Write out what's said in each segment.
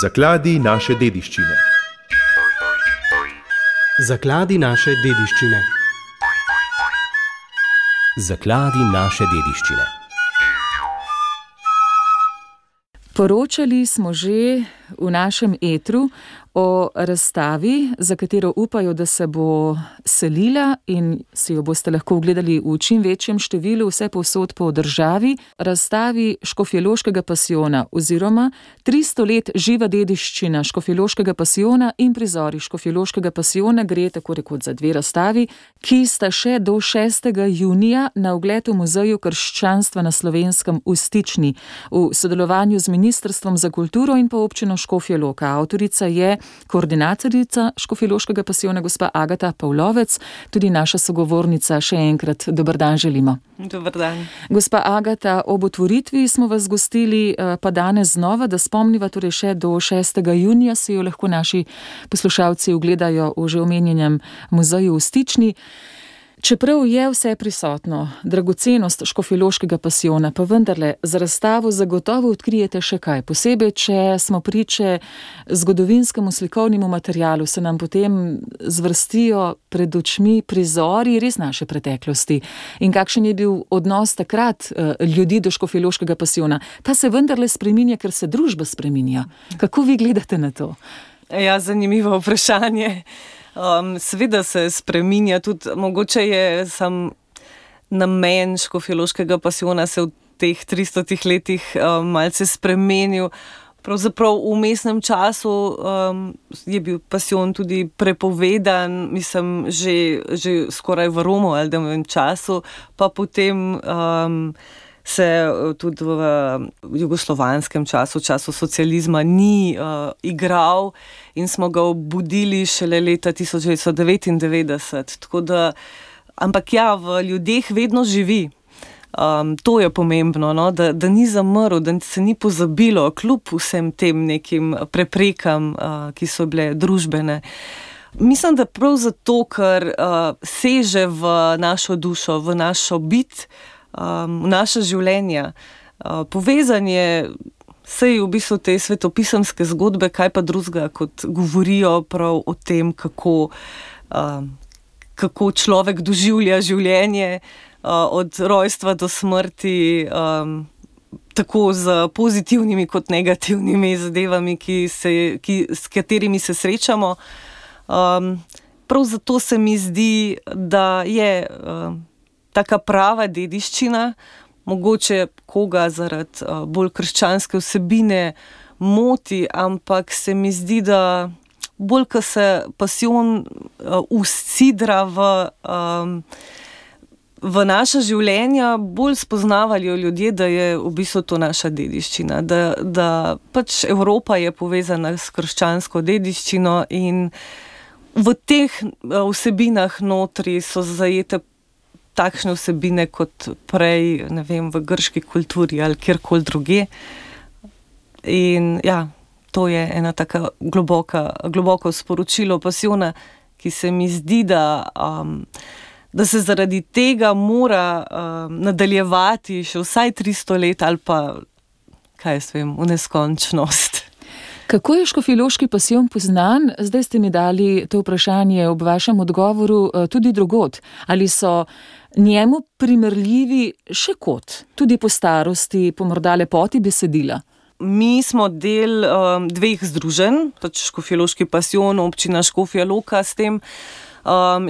Zakladi naše dediščine. Zakladi naše dediščine. Zakladi naše dediščine. Poročali smo že v našem etru o razstavi, za katero upajo, da se bo selila in si jo boste lahko ogledali v čim večjem številu vse povsod po državi. Razstavi Škofjeloškega pasijona oziroma 300 let živa dediščina Škofjeloškega pasijona in prizori Škofjeloškega pasijona gre tako rekoč za dve razstavi, ki sta še do 6. junija na ogled v Muzeju krščanstva na Slovenskem v Stični v sodelovanju z Ministrstvom za kulturo in pa občino Škofja Loka. Avtorica je koordinatorica Škofjeloškega pasijona gospa Agata Pavlovec, tudi naša sogovornica. Še enkrat dober dan želimo. Dober dan. Gospa Agata, ob otvoritvi smo vas gostili, pa danes znova, da spomniva, torej še do 6. junija se jo lahko naši poslušalci ogledajo v že omenjenem muzeju v Stični. Čeprav je vse prisotno, dragocenost Škofjeloškega pasijona, pa vendarle za razstavo zagotovo odkrijete še kaj. Posebej, če smo priče zgodovinskemu slikovnemu materialu, se nam potem zvrstijo pred očmi prizori res naše preteklosti. In kakšen je bil odnos takrat ljudi do Škofjeloškega pasijona? Ta se vendarle spreminja, ker se družba spreminja. Kako vi gledate na to? Ja, zanimivo vprašanje. Seveda se spreminja, tudi mogoče je sam namen Škofjeloškega pasijona se v teh 300 letih malce spremenil. Pravzaprav v vmesnem času je bil pasijon tudi prepovedan, mislim, že skoraj v Romualdovem času, pa potem se tudi v jugoslovanskem času, času socializma ni igral in smo ga obudili šele leta 1999. Tako da, ampak ja, v ljudeh vedno živi. To je pomembno, no? Da ni zamrl, da se ni pozabilo, kljub vsem tem nekim preprekam, ki so bile družbene. Mislim, da prav zato, ker seže v našo dušo, v našo bit, v naša življenja. Povezan je sej v bistvu te svetopisemske zgodbe, kaj pa drugega, kot govorijo prav o tem, kako človek doživlja življenje od rojstva do smrti, tako z pozitivnimi kot negativnimi zadevami, s katerimi se srečamo. Prav zato se mi zdi, da je taka prava dediščina, mogoče koga zaradi bolj krščanske vsebine moti, ampak se mi zdi, da bolj, ko se pasijon usidra v naša življenja, bolj spoznavajo ljudje, da je v bistvu to naša dediščina, da pač Evropa je povezana s krščansko dediščino in v teh vsebinah notri so zajete takšne vsebine kot prej, ne vem, v grški kulturi ali kjerkoli druge. In ja, to je ena taka globoko sporočilo pasijona, ki se mi zdi, da se zaradi tega mora nadaljevati še vsaj 300 let ali pa, kaj jaz vem, v neskončnost. Kako je Škofjeloški pasijon poznan? Zdaj ste mi dali to vprašanje ob vašem odgovoru tudi drugod. Ali so njemu primerljivi še kot, tudi po starosti, po morda lepoti besedila? Mi smo del dveh združenj, pač Škofjeloški pasijon, občina Škofja Loka s tem,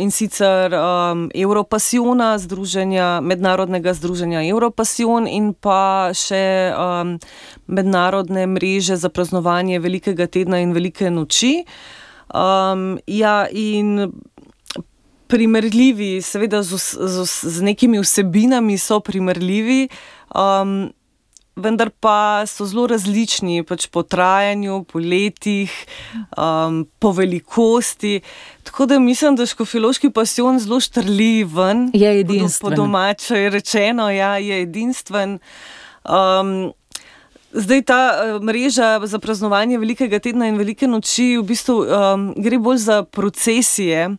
in sicer Evropasijona, mednarodnega združenja Evropasijon in pa še mednarodne mreže za praznovanje Velikega tedna in Velike noči. Ja, in primerljivi, seveda z nekimi vsebinami so primerljivi, vendar pa so zelo različni, pač po trajanju, po letih, po velikosti. Tako da mislim, da Škofjeloški pasijon zelo štrli ven. Je edinstven. Po domače je rečeno, ja, je edinstven. Zdaj ta mreža za praznovanje Velikega tedna in Velike noči v bistvu gre bolj za procesije,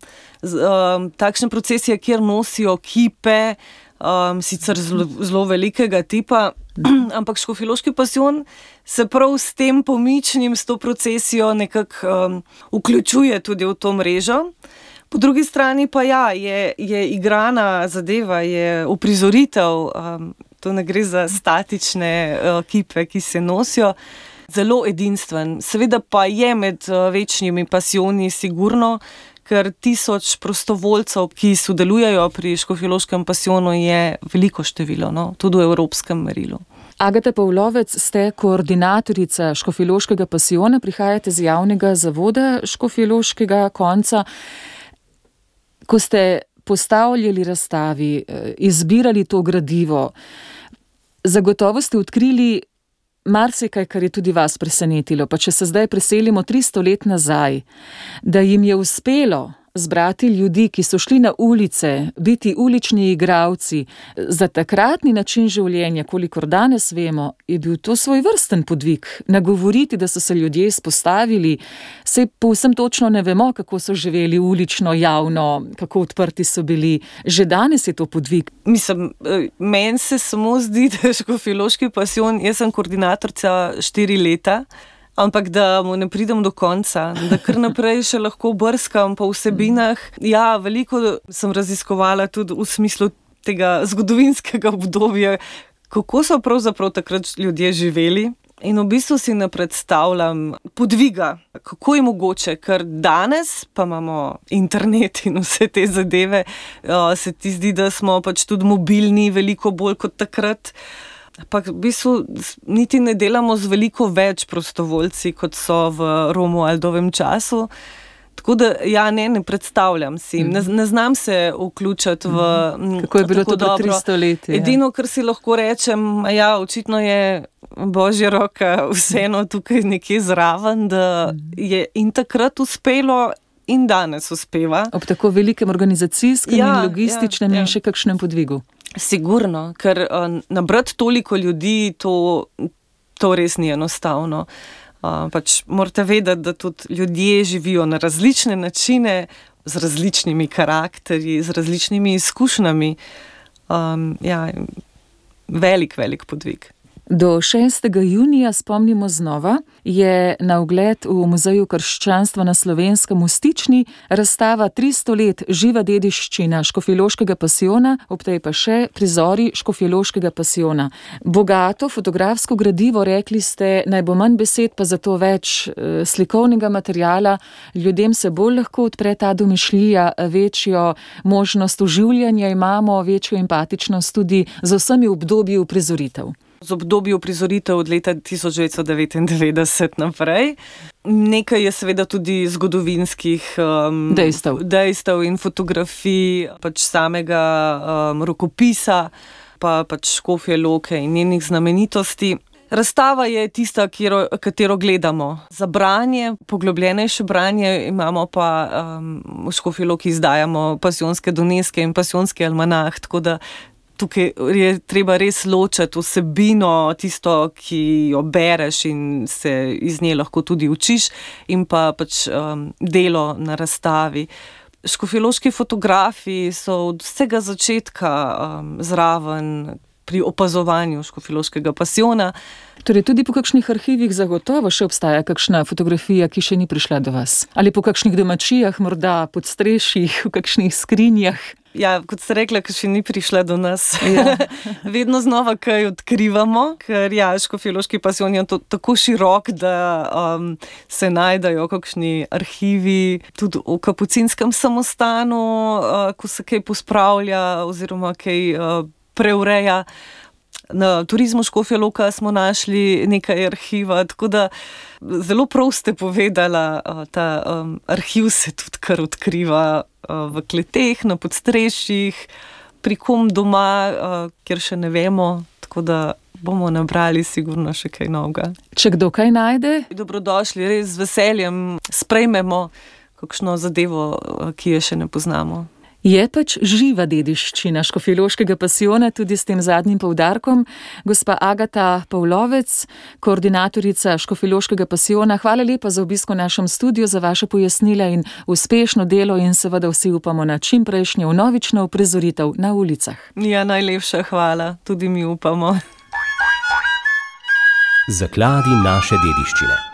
takšne procesije, kjer nosijo kipe, sicer zelo velikega tipa, Ampak škofjeloški pasijon se prav s tem pomičnim, s to procesijo nekako vključuje tudi v to mrežo. Po drugi strani pa je igrana zadeva, je uprizoritev, to ne gre za statične kipe, ki se nosijo, zelo edinstven. Seveda pa je med večnimi pasijoni sigurno, ker 1000 prostovoljcev, ki sodelujejo pri škofjeloškem pasijonu, je veliko število, no? Tudi v evropskem merilu. Agata Pavlovec, ste koordinatorica škofjeloškega pasijona, prihajate z javnega zavoda škofjeloškega konca. Ko ste postavljali razstavi, izbirali to gradivo, zagotovo ste odkrili marsikaj, kar je tudi vas presenetilo. Pa če se zdaj preselimo 300 let nazaj, da jim je uspelo zbrati ljudi, ki so šli na ulice, biti ulični igralci, za takratni način življenja, kolikor danes vemo, je bil to svojvrsten podvig. Nagovoriti, da so se ljudje izpostavili, saj povsem točno ne vemo, kako so živeli ulično, javno, kako odprti so bili. Že danes je to podvig. Mislim, meni se samo zdi, da je škofjeloški pasijon, jaz sem koordinatorica 4 leta, ampak da mu ne pridem do konca, da kar naprej še lahko brskam po vsebinah. Ja, veliko sem raziskovala tudi v smislu tega zgodovinskega obdobja, kako so pravzaprav takrat ljudje živeli. In v bistvu si ne predstavljam podviga, kako je mogoče, ker danes pa imamo internet in vse te zadeve, se ti zdi, da smo pač tudi mobilni veliko bolj kot takrat. Ampak v bistvu niti ne delamo z veliko več prostovoljci, kot so v Romualdovem času. Tako da, ja, ne predstavljam si. Ne znam se vključiti v kako je bilo to pred 300 leti. Edino, kar si lahko rečem, ja, očitno je božja roka vseeno tukaj nekje zraven, da je in takrat uspelo in danes uspeva. Ob tako velikem organizacijskem in logističnem in še kakšnem podvigu. Sigurno, ker nabrati toliko ljudi, to res ni enostavno. Pač morate vedeti, da tudi ljudje živijo na različne načine, z različnimi karakterji, z različnimi izkušnjami. Ja, velik podvig. Do 6. junija, spomnimo znova, je na ogled v Muzeju krščanstva na Slovenskem v Stični razstava 300 let živa dediščina škofjeloškega pasijona, ob tej pa še prizori škofjeloškega pasijona. Bogato fotografsko gradivo, rekli ste, naj bo manj besed, pa zato več slikovnega materiala. Ljudem se bolj lahko odpre ta domišljija, večjo možnost oživljanja imamo, večjo empatičnost tudi z vsemi obdobji uprizoritev. Z obdobju prizoritev od leta 1999 naprej. Nekaj je seveda tudi zgodovinskih dejstev in fotografij, pač samega rokopisa, pa pač Škofje Loke in njenih znamenitosti. Razstava je tista, katero gledamo. Za branje, poglobljenejše branje imamo pa v Škofji Loki izdajamo pasijonske doneske in pasijonski almanah, tako da tukaj je treba res ločiti vsebino, tisto, ki jo bereš in se iz nje lahko tudi učiš, in pa pač delo na razstavi. Škofjeloški fotografi so od vsega začetka zraven pri opazovanju škofjeloškega pasijona. Torej tudi po kakšnih arhivih zagotovo še obstaja kakšna fotografija, ki še ni prišla do vas? Ali po kakšnih domačijah, morda pod strešjih, v kakšnih skrinjah? Ja, kot ste rekla, ki še ni prišla do nas. Ja. Vedno znova kaj odkrivamo, ker škofjeloški pasijon je tako širok, da se najdejo kakšni arhivi, tudi v kapucinskem samostanu, ko se kaj pospravlja oziroma kaj preureja. Na Turizmu Škofja Loka smo našli nekaj arhiva, tako da zelo prav ste povedala, ta arhiv se tudi kar odkriva v kleteh, na podstrešjih, pri kom doma, kjer še ne vemo, tako da bomo nabrali sigurno še kaj novega. Če kdo kaj najde? Dobrodošli, res z veseljem sprejmemo kakšno zadevo, ki je še ne poznamo. Je pač živa dediščina škofjeloškega pasijona, tudi s tem zadnjim poudarkom. Gospa Agata Pavlovec, koordinatorica škofjeloškega pasijona, hvala lepa za obisk v našem studiu, za vaše pojasnila in uspešno delo in seveda vsi upamo na čimprejšnjo vnovično uprizoritev na ulicah. Ja, najlepša hvala, tudi mi upamo. Zakladi naše dediščine.